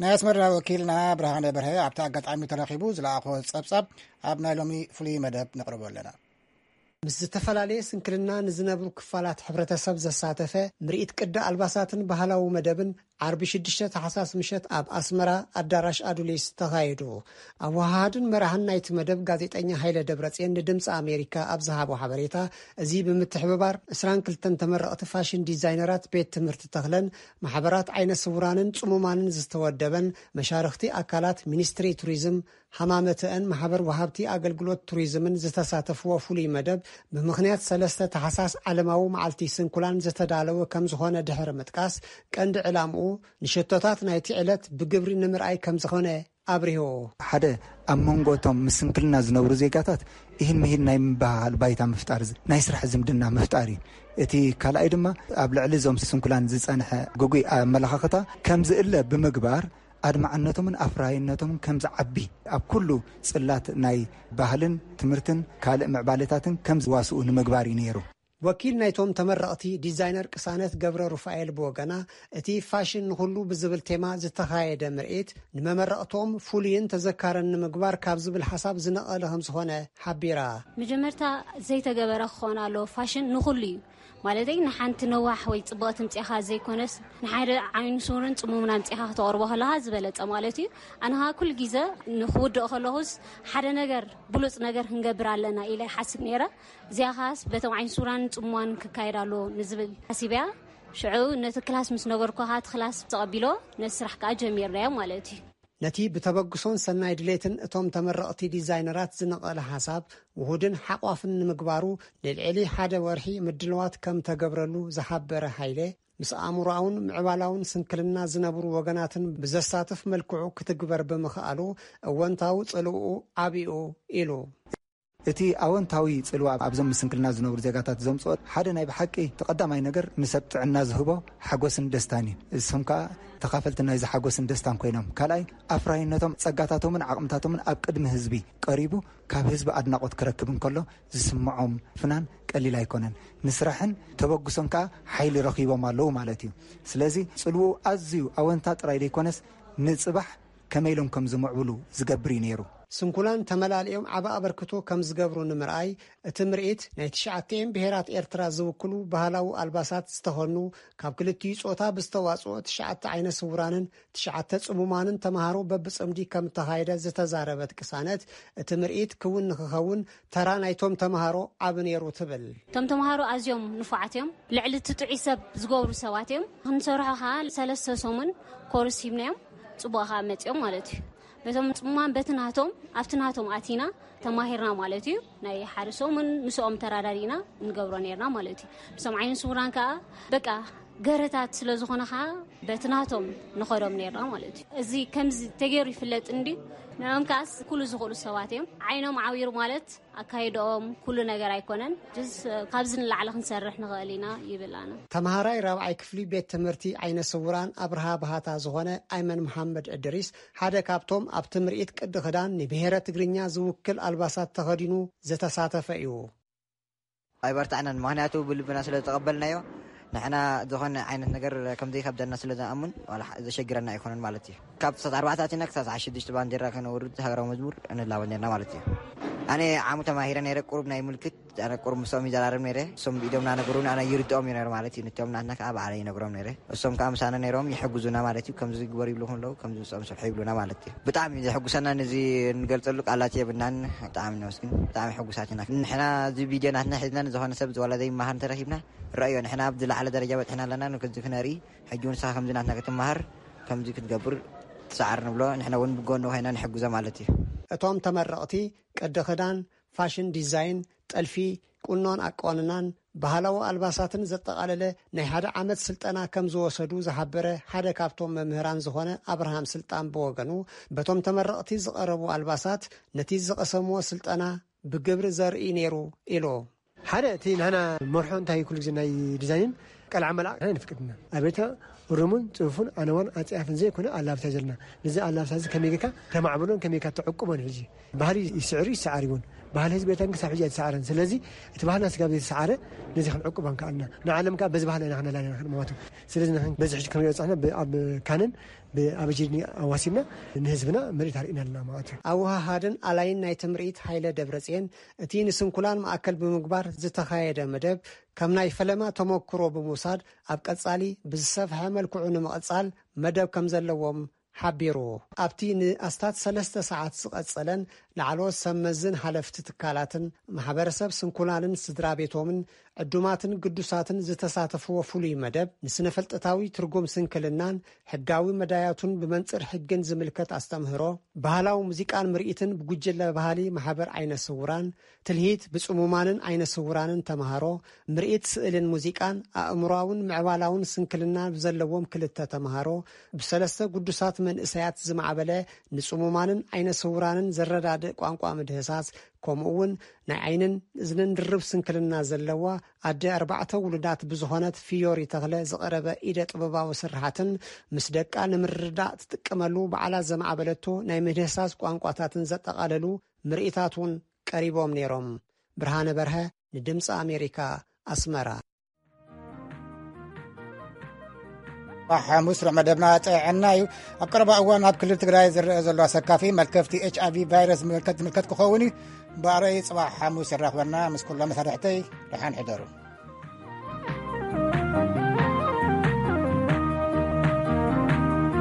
ናይ ኣስመራ ወኪልና ብርሃነ በርሀ ኣብቲ ኣጋጣሚ ተረኺቡ ዝለኣኾ ጸብጻብ ኣብ ናይ ሎሚ ፍሉይ መደብ ነቕርቦ ኣለና። ምስ ዝተፈላለየ ስንክልና ንዝነብሩ ክፋላት ሕብረተሰብ ዘሳተፈ ምርኢት ቅዲ ኣልባሳትን ባህላዊ መደብን ዓርቢ ሽዱሽተ ታሕሳስ ምሸት ኣብ ኣስመራ ኣዳራሽ ኣዱሊስ ተኻይዱ። ኣወሃሃድን መራሕን ናይቲ መደብ ጋዜጠኛ ሃይለ ደብረጽዮን ንድምፂ ኣሜሪካ ኣብ ዝሃቦ ሓበሬታ፣ እዚ ብምትሕብባር ዕስራን ክልተን ተመረቕቲ ፋሽን ዲዛይነራት ቤት ትምህርቲ ተኽለን ማሕበራት ዓይነ ስውራንን ጽሙማንን ዝተወደበን መሻርኽቲ ኣካላት ሚኒስትሪ ቱሪዝም፣ ሃማመተአን ማሕበር ወሃብቲ ኣገልግሎት ቱሪዝምን ዝተሳተፍዎ ፍሉይ መደብ፣ ብምኽንያት ሰለስተ ታሕሳስ ዓለማዊ መዓልቲ ስንኩላን ዝተዳለወ ከም ዝኾነ ድሕሪ ምጥቃስ፣ ቀንዲ ዕላምኡ ንሸቶታት ናይቲ ዕለት ብግብሪ ንምርኣይ ከም ዝኾነ ኣብሪሁ። ሓደ ኣብ መንጎ እቶም ምስ ስንክልና ዝነብሩ ዜጋታት ኢሂን ምሂን ናይ ምብህሃል ባይታ ምፍጣር፣ ናይ ስራሕ ዝምድና ምፍጣር እዩ። እቲ ካልኣይ ድማ ኣብ ልዕሊ እዞም ስንኩላን ዝጸንሐ ግጉይ ኣመለኻኽታ ከም ዝእለ ብምግባር፣ ኣድማዕነቶምን ኣፍራይነቶምን ከም ዝዓቢ፣ ኣብ ኩሉ ጽላት ናይ ባህልን ትምህርትን ካልእ ምዕባለታትን ከም ዝዋስኡ ንምግባር እዩ ነይሩ። ወኪል ናይቶም ተመረቕቲ ዲዛይነር ቅሳነት ገብረ ሩፋኤል ብወገና፣ እቲ ፋሽን ንኹሉ ብዝብል ቴማ ዝተኻየደ ምርኢት ንመመረቕቶም ፍሉይን ተዘካርን ንምግባር ካብ ዝብል ሓሳብ ዝነቐለ ከም ዝኾነ ሓቢራ። መጀመርታ ዘይተገበረ ክኸውን ኣለዎ። ፋሽን ንኹሉ እዩ። ማለተይ ንሓንቲ ነዋሕ ወይ ጽብቕቲ ምጽኻ ዘይኮነስ፣ ንሓደ ዓይኒ ስውርን ጽሙምን ኣምጺኻ ክተቕርቦ ከለኻ ዝበለጸ ማለት እዩ። ኣነ ኸኣ ኩሉ ግዜ ንኽውድኦ ከለኹስ ሓደ ነገር፣ ብሉጽ ነገር ክንገብር ኣለና ኢለ ይሓስብ ነይረ። እዚኣ ኸኣስ በቶም ዓይኒ ስውራን ጽሙማን ክካየድ ኣለዎ ንዝብል ሓሲበያ። ሽዑ ነቲ ክላስ ምስ ነገርኩ ኸኣ እቲ ክላስ ተቐቢሎ፣ ነቲ ስራሕ ከኣ ጀሚርናዮ ማለት እዩ። ነቲ ብተበግሶን ሰናይ ድሌትን እቶም ተመረቕቲ ዲዛይነራት ዝነቐለ ሓሳብ ውሁድን ሓቋፍን ንምግባሩ ንልዕሊ ሓደ ወርሒ ምድልዋት ከም ተገብረሉ ዝሓበረ ሃይለ፣ ምስ ኣእምሮኣውን ምዕባላውን ስንክልና ዝነብሩ ወገናትን ብዘሳትፍ መልክዑ ክትግበር ብምኽኣሉ እወንታዊ ጽልውኡ ዓቢኡ ኢሉ። እቲ ኣወንታዊ ጽልዋ ኣብዞም ምስ ስንክልና ዝነብሩ ዜጋታት ዘምጽኦ ሓደ ናይ ብሓቂ ተቐዳማይ ነገር ንሰብ ጥዕና ዝህቦ ሓጎስን ደስታን እዩ። እሶም ከኣ ተኻፈልቲ ናይዚ ሓጎስን ደስታን ኮይኖም፣ ካልኣይ ኣፍራይነቶም፣ ጸጋታቶምን ዓቕምታቶምን ኣብ ቅድሚ ህዝቢ ቀሪቡ ካብ ህዝቢ ኣድናቖት ክረክብ እንከሎ ዝስምዖም ፍናን ቀሊል ኣይኮነን። ንስራሕን ተበግሶን ከኣ ሓይሊ ረኺቦም ኣለዉ ማለት እዩ። ስለዚ ጽልውኡ ኣዝዩ ኣወንታ ጥራይ ዘይኮነስ ንጽባሕ ከመይ ኢሎም ከም ዝምዕብሉ ዝገብር እዩ ነይሩ። ስንኩላን ተመላሊኦም ዓቢ ኣበርክቶ ከም ዝገብሩ ንምርኣይ፣ እቲ ምርኢት ናይ ትሽዓቲኤን ብሄራት ኤርትራ ዝውክሉ ባህላዊ ኣልባሳት ዝተኸኑ፣ ካብ ክልቲኡ ጾታ ብዝተዋጽኦ ትሽዓተ ዓይነ ስውራንን ትሽዓተ ጽሙማንን ተማሃሮ በብጽምዲ ከም እተኻየደ ዝተዛረበት ቅሳነት፣ እቲ ምርኢት ክውን ንክኸውን ተራ ናይቶም ተማሃሮ ዓቢ ነይሩ ትብል። እቶም ተማሃሮ ኣዝዮም ንፉዓት እዮም። ልዕሊ እቲ ጥዑይ ሰብ ዝገብሩ ሰባት እዮም። ክንሰርሖ ኸኣ ሰለስተ ሰሙን ኮርስ ሂብናዮም፣ ጽቡቕ ኸኣ መጺኦም ማለት እዩ። በቶም ጽሙማን በቲ ናቶም፣ ኣብቲ ናቶም ኣቲና ተማሂርና ማለት እዩ። ናይ ሓደ ሰሙን ምስኦም ተራዳዲእና ንገብሮ ነይርና ማለት እዩ። ምስቶም ዓይነ ስውራን ከኣ በቃ ገረታት ስለ ዝኾነ ኸኣ በቲ ናቶም ንኸዶም ነይርና ማለት እዩ። እዚ ከምዚ ተገይሩ ይፍለጥ እንድዩ። ንዕኦም ከኣስ ኩሉ ዝኽእሉ ሰባት እዮም። ዓይኖም ዓዊሩ ማለት ኣካይድኦም ኩሉ ነገር ኣይኮነን። ጅስ ካብዚ ንላዕሊ ክንሰርሕ ንኽእል ኢና ይብል ኣነ። ተምሃራይ ራብዓይ ክፍሊ ቤት ትምህርቲ ዓይነ ስውራን ኣብርሃ ባህታ ዝኾነ ኣይመን መሓመድ እድሪስ ሓደ ካብቶም ኣብቲ ምርኢት ቅዲ ክዳን ንብሄረ ትግርኛ ዝውክል ኣልባሳት ተኸዲኑ ዝተሳተፈ እዩ። ኣይበርታዕናን፣ ምኽንያቱ ብልብና ስለ ዝተቐበልናዮ። ንሕና ዝኾነ ዓይነት ነገር ከም ዘይከብደና ስለ ዝኣምን ዋላ ሓ- ዘሸግረና ኣይኮነን ማለት እዩ። ካብ ክሳብ ኣርባዕተ ኣቲና ክሳብ ሰዓት ሽዱሽተ ባንዴራ ከነውርድ ሃገራዊ መዝሙር ንላቦ ነርና ማለት እዩ። ኣነ ዓሙ ተማሂረ ነይረ፣ ቁሩብ ናይ ምልክት ኣነ ቁሩብ ምስኦም ይዘራረብ ነይረ። እሶም ብኢዶም ናነገሩኒ ኣነ ይርድኦም እዩ ነይረ ማለት እዩ። ንቲኦም ናትና ከዓ ባዕለ ይነግሮም ነይረ። እሶም ከዓ ምሳና ነይሮም ይሕግዙና ማለት እዩ። ከምዚ ግበር ይብልኹም ኣለዉ፣ ከምዚ ምስኦም ስርሑ ይብሉና ማለት እዩ። ብጣዕሚ እዩ ዘሕጉሰና፣ ነዚ እንገልጸሉ ቃላት የብልናን። ብጣዕሚ ነመስግን፣ ብጣዕሚ ሕጉሳት ኢና። ንሕና እዚ ቪድዮ ናትና ሒዝና ንዝኾነ ሰብ ዝወላ ዘይመሃር እንተረኺብና፣ ረእዮ፣ ንሕና ኣብ ዝለዓለ ደረጃ በፂሕና ኣለና፣ ንክዚ ክነርኢ። ሕጂ እውን ንስኻ ከምዚ ናትና ክትመሃር፣ ከምዚ ክትገብር ትሰዓር ንብሎ፣ ንሕና እውን ብጎኑ ኮይና ንሕግዞ ማለት እዩ። እቶም ተመረቕቲ ቅዲ ክዳን፣ ፋሽን ዲዛይን፣ ጥልፊ፣ ቁኖን ኣቋንናን፣ ባህላዊ ኣልባሳትን ዘጠቓለለ ናይ ሓደ ዓመት ስልጠና ከም ዝወሰዱ ዝሓበረ ሓደ ካብቶም መምህራን ዝኾነ ኣብርሃም ስልጣን ብወገኑ፣ በቶም ተመረቕቲ ዝቐረቡ ኣልባሳት ነቲ ዝቐሰምዎ ስልጠና ብግብሪ ዘርኢ ነይሩ ኢሉ። ሓደ እቲ ናህና መርሖ እንታይ ኩሉ ግዜ ናይ ዲዛይንን ቀልዓ መልዓ ናይ ንፍቅድና ኣቤታ ሩሙን ጽፉን ኣነዋን ኣጽያፍን ዘይኮነ ኣላብሳ ዘለና። ነዚ ኣላብሳ እዚ ከመይ ጌርካ ተማዕብሎን ከመይ ጌርካ ተዕቁቦን ሕጂ ባህሊ ይስዕር ይሰዓር ይውን ባህሊ ህዝቢ ኤርትራ ክሳብ ሕጂ ኣይተሰዓረን። ስለዚ እቲ ባህልና ስጋብ ዘይተሰዓረ ነዚ ክንዕቁብ ኣንከኣልና ንዓለም ከዓ በዚ ባህልና ኢና ክነላና ክንመዋቱ። ስለዚ ንሕን በዚ ሕጂ ክንሪኦ ጻሕና ኣብ ካነን ብኣበጀድኒ ኣዋሲብና ንህዝብና ምርኢት ኣርእና ኣለና ማለት እዩ። ኣወሃሃድን ኣላይን ናይ ትምርኢት ሃይለ ደብረጽየን እቲ ንስንኩላን ማእከል ብምግባር ዝተኻየደ መደብ ከም ናይ ፈለማ ተመክሮ ብምውሳድ ኣብ ቀጻሊ ብዝሰፍሐ መልክዑ ንምቕጻል መደብ ከም ዘለዎም ሓቢሩ። ኣብቲ ንኣስታት ሰለስተ ሰዓት ዝቐጸለን ላዕለዎት ሰብ መዝን ሓለፍቲ ትካላትን ማሕበረሰብ ስንኩላንን ስድራ ቤቶምን ዕዱማትን ግዱሳትን ዝተሳተፍዎ ፍሉይ መደብ ንስነ-ፍልጠታዊ ትርጉም ስንክልናን ሕጋዊ መዳያቱን ብመንጽር ሕግን ዝምልከት ኣስተምህሮ፣ ባህላዊ ሙዚቃን ምርኢትን ብጉጅለ ባህሊ ማሕበር ዓይነ ስውራን፣ ትልሂት ብጽሙማንን ዓይነ ስውራንን ተምሃሮ፣ ምርኢት ስእልን ሙዚቃን ኣእምሮኣውን ምዕባላውን ስንክልና ብዘለዎም ክልተ ተምሃሮ፣ ብሰለስተ ግዱሳት መንእሰያት ዝማዕበለ ንጽሙማንን ዓይነ ስውራንን ዘረዳድእ ቋንቋ ምድህሳስ፣ ከምኡ እውን ናይ ዓይንን እዝንን ድርብ ስንክልና ዘለዋ ኣደ ኣርባዕተ ውሉዳት ብዝኾነት ፊዮሪ ተኽለ ዝቐረበ ኢደ ጥበባዊ ስርሓትን ምስ ደቃ ንምርዳእ ትጥቀመሉ ባዕላ ዘማዕበለቶ ናይ ምድህሳስ ቋንቋታትን ዘጠቓለሉ ምርኢታት እውን ቀሪቦም ነይሮም። ብርሃነ በርሀ ንድምፂ ኣሜሪካ ኣስመራ። ሓሙስ ርዕ መደብና ጥዕና እዩ። ኣብ ቀረባ እዋን ኣብ ክልል ትግራይ ዝረአ ዘሎ ኣሰካፊ መልከፍቲ ኤች ኣይቪ ቫይረስ ዝምልከት ዝምልከት ክኸውን እዩ። ብኣረይ ጽባሕ ሓሙስ የራኽበና። ምስ ኩሎም መሳርሕተይ ደሓን ሕደሩ።